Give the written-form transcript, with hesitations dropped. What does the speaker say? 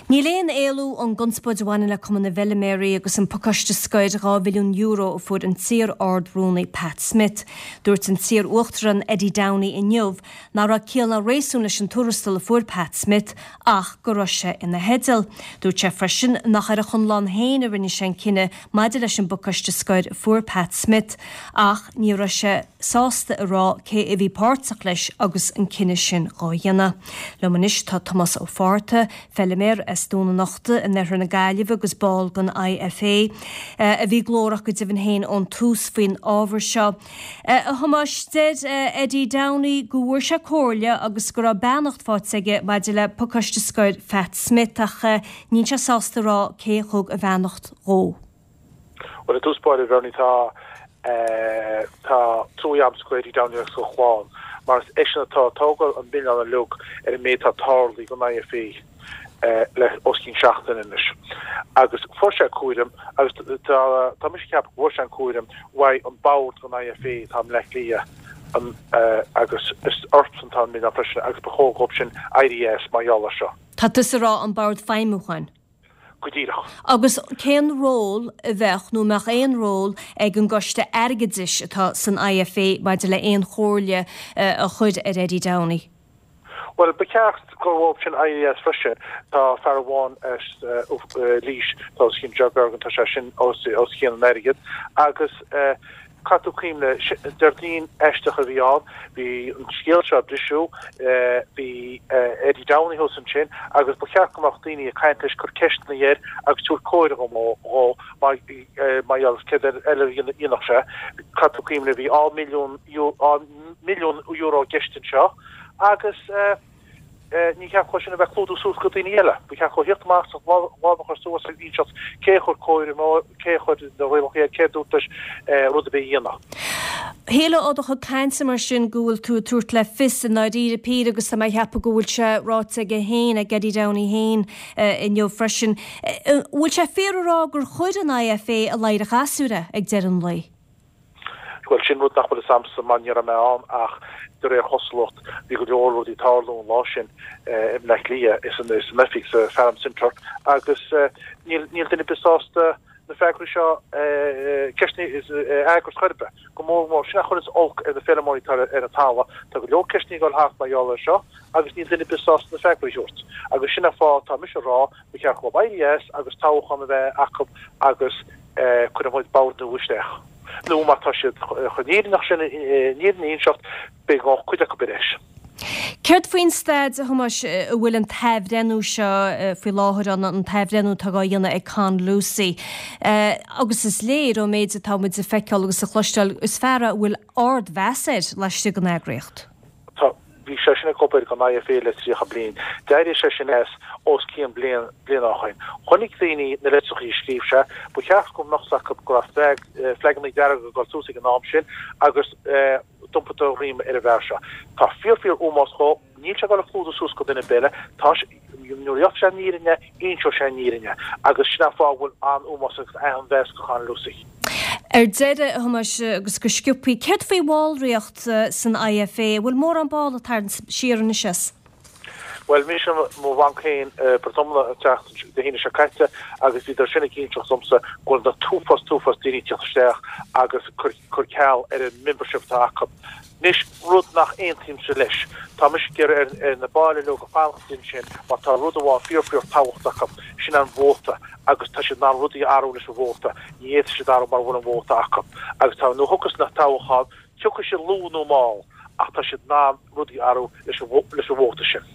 Níl aon éalú ón gconspóid a bhaineann le Cumann na bhFeiliméaraí agus an pacáiste scoir €2 mhilliún a fuair an t-iar-Ard-Rúnaí Pat Smith. Dúirt an t-iar-Uachtarán Eddie Downey inniu nach raibh ciall ná réasún leis an tuarastal a fuair Pat Smith ach go raibh sé ina theideal. Dúirt sé freisin nach ar a chonlán féin a rinne sé an cinneadh maidir leis an bpacáiste scoir a fuair Pat Smith ach ní raibh sé sásta a rá cé a bhí páirteach leis agus an cinneadh sin dhá dhéanamh. Liom anois tá Tomás Ó Fátharta, feiliméar as Dún an Uchta in oirthear na Gaillimhe agus ball den IFA, a bhí glórach go deimhin féin ón tús faoin ábhar seo. A Thomáis, deir Eddie Downey go bhfuair sé comhairle agus go raibh beannacht faighte aige maidir le pacáiste scoir Phat Smith ach níl sé sásta a rá cé a thug a bheannacht dhó. Bhuel, i dtús báire, a Bhernie, tá, tá trua agamsa do Eddie Downey agus a chlann, mar is eisean atá ag tógáil an milleáin uilig ar an méid atá tarlaithe don IFA le os cionn seachtaine anois. Agus fuair sé cúram, agus tá, tá mise ag ceapadh go bhfuair sé an cúram uaidh an bord don IFA atá i mBleá Cliath, an, agus is orthusan atá an milleán freisin, agus ba chóir dhóibh sin éirí as mar gheall air seo. Tá tusa ag rá an Bord Feidhmiúcháin. Go díreach. Agus cén ról a bheadh, nó an mbeadh aon ról, ag an gcoiste airgeadais atá san IFA maidir le aon chomhairle a chur ar Eddie Downey? Bhuel, ba cheart gur dhóibh sin éirí as freisin. Tá fear amháin as Laois, tá os cionn Ger Bergin, tá sé sin os cionn an airgid. Agus Caithfidh tú cuimhneamh, Déardaoin aisteach a bhí ann, bhí an scéal seo ag briseadh, bhí Eddie Downey thuas ansin agus ba cheart go mbeadh daoine ag caint leis, cur ceisteanna air agus tabhairt comhairle dhó mar gheall ar céard eile a dhéanfadh sé. Caithfidh tú cuimhneamh, bhí €2 milliún i gceist anseo agus. Ní cheart dhó sin a bheith ag clúdú suas go daoine eile. Ba cheart dhó theacht amach agus a lámh a chur suas agus inseacht cé a chuir comhairle, cé a chuir na rialacha air, cé a dúirt leis rud ar bith a dhéanamh. Shílfeá ó do chuid cainte mar sin go bhfuil tú ag tabhairt le fios i ndáiríre píre, agus tá mé ag ceapadh go bhfuil sé ráite aige féin, ag Eddie Downey féin inniu freisin, an bhfuil sé fíor a rá gur chuir an IFA i ladhar an chasúir é ag deireadh an lae? Bhuel, sin rud nach bhfuil fhios a'msa mar ní raibh mé ann ach de réir chosúlacht bhí go leor rudaí ag tarlú an lá sin i mBleá Cliath is san oifig sa Farm Centre agus níl níl duine ar bith sásta na freagraí seo ceisteanna a fhreagairt chor ar bith. Go mór mór sin a chuireanns olc ar na feirmeoirí atá ar an talamh. Tá go leor ceisteanna ag dul thart mar gheall air seo agus níl duine ar bith sásta na freagraí a thabhairt. Agus sin an fáth atá mise a rá Ba cheart dhóibh éirí as agus toghchán a bheith acu agus cuirfidh muid bord nua isteach. Nó má tá siad chun an fhírinne sin, an fhírinne a inseacht, beidh gá cuid acu ar ais. Céard faoin staid, a Thomáis, a bhfuil an t-athbhreithniú seo faoi láthair ann, an t-athbhreithniú atá á dhéanamh ag Con Lucey? Agus is léir ón méid atá muid a feiceáil agus a chloisteáil, is fear é a bhfuil ardmheas air laistigh den eagraíocht. Tá. Bhí sé sin ag obair don IFA le 30 bliain. D'éirigh sé sin as os cionn bliain, bliain ó shoin. Chonaic daoine na litreachaí a scríobh sé. Ba cheart go mbeadh 's acu go raibh flagannaí dearga ag dul suas ag an am sin agus d'iompaigh do dhroim ar an bhfear seo. Tá fíor fíor ómós dhó. Níl sé ag dul ag clúdú suas go duine ar bith eile. Tá sé, nuair a gheobhaidh sé an fhírinne, inseoidh sé an fhírinne. Agus sin an fáth a bhfuil an-ómós agus an-mheas do Chon Lucey. Ar deireadh, a Thomáis, agus go sciobthaí, céard faoi bhallraíocht san IFA? An bhfuil mórán ball ag tarraingt siar anois as? Bhuel, mise mo bhanc féin, Portumna, an tseachtain Dé hAoine seo caite agus bhíodar sin ag inseacht domsa go bhfuil na t-uafás, t-uafás daoine ag teacht isteach agus cur ceal ar an membership atá acu. Anois, rud nach aontaímse leis, tá mise ag iarraidh ar na baill uilig a fanacht ansin mar tá rud amháin fíor fíor tábhachtach acu, sin an vóta agus tá siad in ann rudaí a athrú leis an vóta, ní fhéadfaidh siad athrú mura bhfuil an vóta acu. Agus tá, nuair a thiocfas na toghcháin, tiocfaidh siad luath nó mall ach tá siad in ann rudaí a athrú leis an vóta sin.